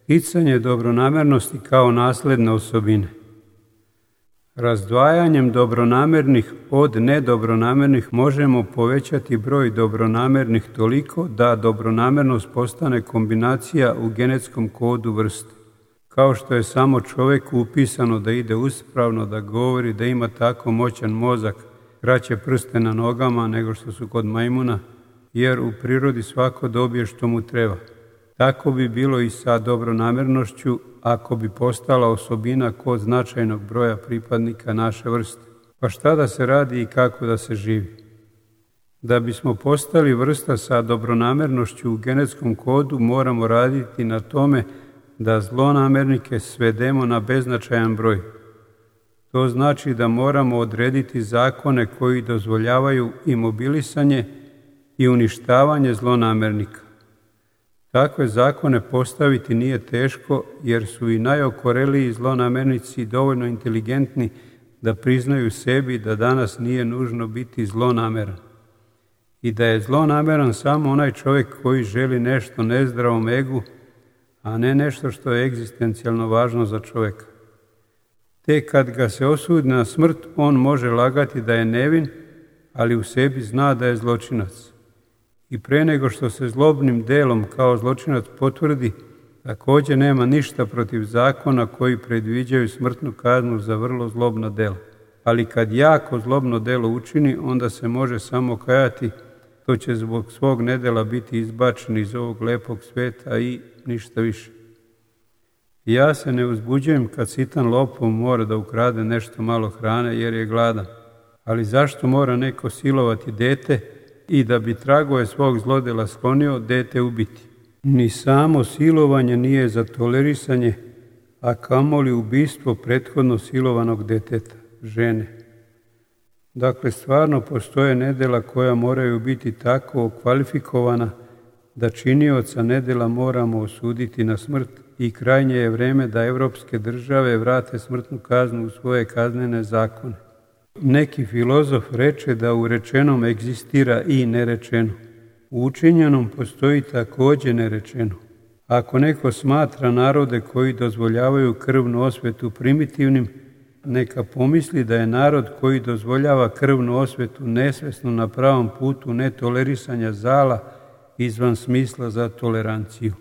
Sticanje dobronamernosti kao nasledne osobine. Razdvajanjem dobronamernih od nedobronamernih možemo povećati broj dobronamernih toliko da dobronamernost postane kombinacija u genetskom kodu vrste. Kao što je samo čovjeku upisano da ide uspravno, da govori, da ima tako moćan mozak, kraće prste na nogama nego što su kod majmuna, jer u prirodi svako dobije što mu treba. Tako bi bilo i sa dobronamernošću ako bi postala osobina kod značajnog broja pripadnika naše vrste. Pa šta da se radi i kako da se živi? Da bismo postali vrsta sa dobronamernošću u genetskom kodu, moramo raditi na tome da zlonamernike svedemo na beznačajan broj. To znači da moramo odrediti zakone koji dozvoljavaju imobilisanje i uništavanje zlonamernika. Takve zakone postaviti nije teško, jer su i najokoreliji zlonamernici dovoljno inteligentni da priznaju sebi da danas nije nužno biti zlonameran. I da je zlonameran samo onaj čovjek koji želi nešto nezdravom egu, a ne nešto što je egzistencijalno važno za čovjeka. Te kad ga se osudi na smrt, on može lagati da je nevin, ali u sebi zna da je zločinac. I pre nego što se zlobnim delom kao zločinac potvrdi, također nema ništa protiv zakona koji predviđaju smrtnu kaznu za vrlo zlobna dela. Ali kad jako zlobno delo učini, onda se može samo kajati, to će zbog svog nedela biti izbačen iz ovog lepog sveta i ništa više. Ja se ne uzbuđujem kad sitan lopov mora da ukrade nešto malo hrane jer je gladan. Ali zašto mora neko silovati dete i da bi tragove svog zlodela sklonio, dete ubiti? Ni samo silovanje nije za tolerisanje, a kamoli ubistvo prethodno silovanog deteta, žene. Dakle, stvarno postoje nedela koja moraju biti tako okvalifikovana da činioca nedela moramo osuditi na smrt i krajnje je vreme da evropske države vrate smrtnu kaznu u svoje kaznene zakone. Neki filozof reče da u rečenom egzistira i nerečeno. U učinjenom postoji također nerečeno. Ako neko smatra narode koji dozvoljavaju krvnu osvetu primitivnim, neka pomisli da je narod koji dozvoljava krvnu osvetu nesvesno na pravom putu netolerisanja zala izvan smisla za toleranciju.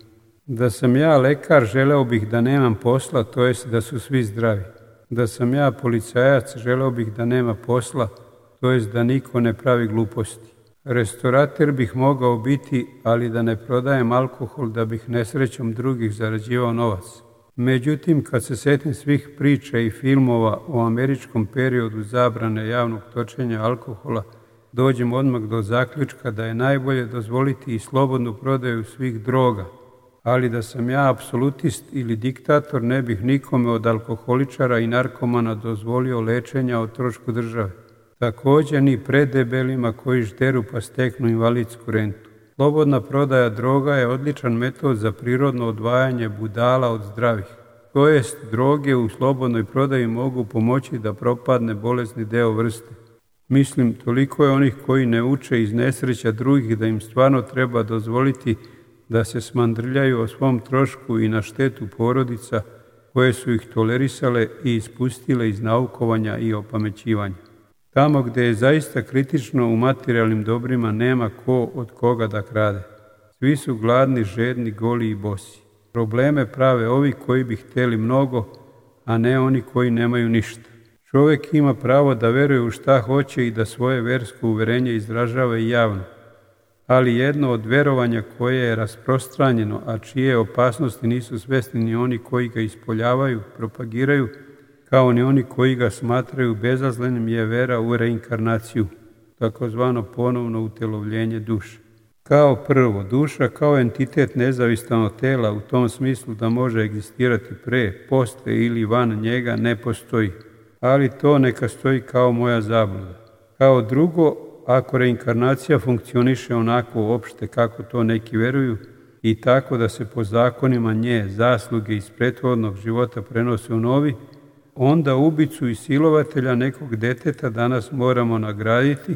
Da sam ja lekar, želeo bih da nemam posla, to jest da su svi zdravi. Da sam ja policajac, želeo bih da nema posla, to jest da niko ne pravi gluposti. Restorater bih mogao biti, ali da ne prodajem alkohol da bih nesrećom drugih zarađivao novac. Međutim, kad se setim svih priča i filmova o američkom periodu zabrane javnog točenja alkohola, dođem odmah do zaključka da je najbolje dozvoliti i slobodnu prodaju svih droga. Ali da sam ja apsolutist ili diktator, ne bih nikome od alkoholičara i narkomana dozvolio lečenja o trošku države. Također ni predebelima koji žderu pa steknu invalidsku rentu. Slobodna prodaja droga je odličan metod za prirodno odvajanje budala od zdravih. To jest, droge u slobodnoj prodaji mogu pomoći da propadne bolesni deo vrste. Mislim, toliko je onih koji ne uče iz nesreća drugih da im stvarno treba dozvoliti da se smandrljaju o svom trošku i na štetu porodica koje su ih tolerisale i ispustile iz naukovanja i opamećivanja. Tamo gdje je zaista kritično u materijalnim dobrima nema ko od koga da krade. Svi su gladni, žedni, goli i bosi. Probleme prave ovi koji bi htjeli mnogo, a ne oni koji nemaju ništa. Čovjek ima pravo da veruje u šta hoće i da svoje versko uverenje izražava i javno. Ali jedno od verovanja koje je rasprostranjeno, a čije opasnosti nisu svjesni ni oni koji ga ispoljavaju, propagiraju, kao ni oni koji ga smatraju bezazlenim, je vera u reinkarnaciju, takozvano ponovno utelovljenje duše. Kao prvo, duša kao entitet nezavisan od tela u tom smislu da može egzistirati pre, posle ili van njega ne postoji, ali to neka stoji kao moja zabluda. Kao drugo, ako reinkarnacija funkcioniše onako uopšte kako to neki veruju i tako da se po zakonima nje zasluge iz prethodnog života prenose u novi, onda ubicu i silovatelja nekog deteta danas moramo nagraditi.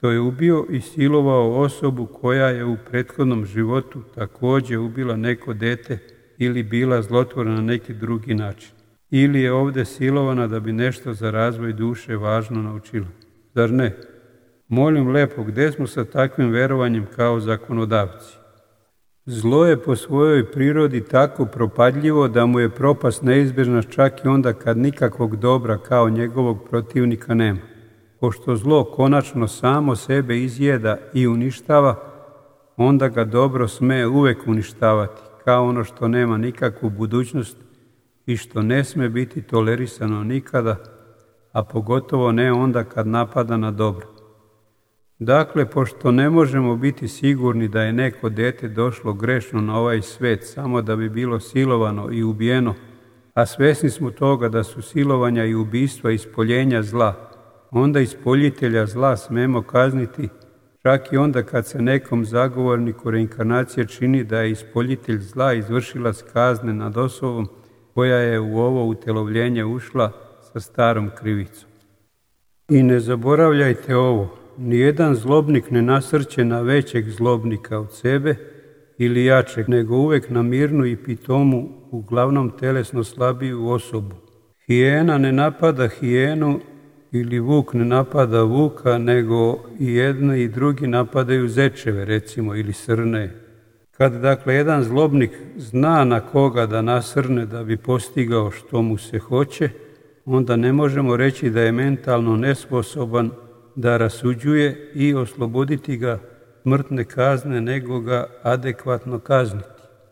To je ubio i silovao osobu koja je u prethodnom životu također ubila neko dete ili bila zlotvorna na neki drugi način. Ili je ovdje silovana da bi nešto za razvoj duše važno naučila. Zar ne? Molim lepo, gdje smo sa takvim verovanjem kao zakonodavci? Zlo je po svojoj prirodi tako propadljivo da mu je propast neizbježna čak i onda kad nikakvog dobra kao njegovog protivnika nema. Pošto zlo konačno samo sebe izjeda i uništava, onda ga dobro sme uvek uništavati, kao ono što nema nikakvu budućnost i što ne sme biti tolerisano nikada, a pogotovo ne onda kad napada na dobro. Dakle, pošto ne možemo biti sigurni da je neko dete došlo grešno na ovaj svet samo da bi bilo silovano i ubijeno, a svesni smo toga da su silovanja i ubistva ispoljenja zla, onda ispoljitelja zla smemo kazniti, čak i onda kad se nekom zagovorniku reinkarnacije čini da je ispoljitelj zla izvršilac kazne nad osobom koja je u ovo utelovljenje ušla sa starom krivicom. I ne zaboravljajte ovo, nijedan zlobnik ne nasrće na većeg zlobnika od sebe ili jačeg, nego uvek na mirnu i pitomu, uglavnom telesno slabiju osobu. Hijena ne napada hijenu ili vuk ne napada vuka, nego i jedni i drugi napadaju zečeve, recimo, ili srne. Kad, dakle, jedan zlobnik zna na koga da nasrne da bi postigao što mu se hoće, onda ne možemo reći da je mentalno nesposoban da rasuđuje i osloboditi ga smrtne kazne, nego ga adekvatno kazniti.